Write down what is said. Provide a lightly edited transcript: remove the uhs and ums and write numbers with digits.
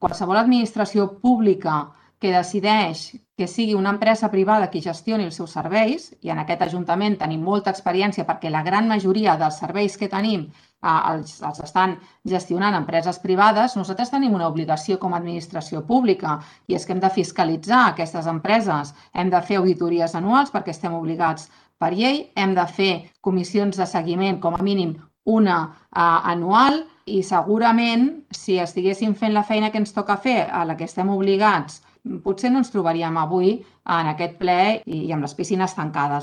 qualsevol administració pública que decideix que sigui una empresa privada qui gestioni els seus serveis, i en aquest Ajuntament tenim molta experiència perquè la gran majoria dels serveis que tenim els estan gestionant empreses privades, nosaltres tenim una obligació com a administració pública i és que hem de fiscalitzar aquestes empreses, hem de fer auditories anuals perquè estem obligats per llei, hem de fer comissions de seguiment, com a mínim una anual, i segurament si estiguéssim fent la feina que ens toca fer, a la que estem obligats, potser no ens trobaríem avui en aquest ple i amb les piscines tancades.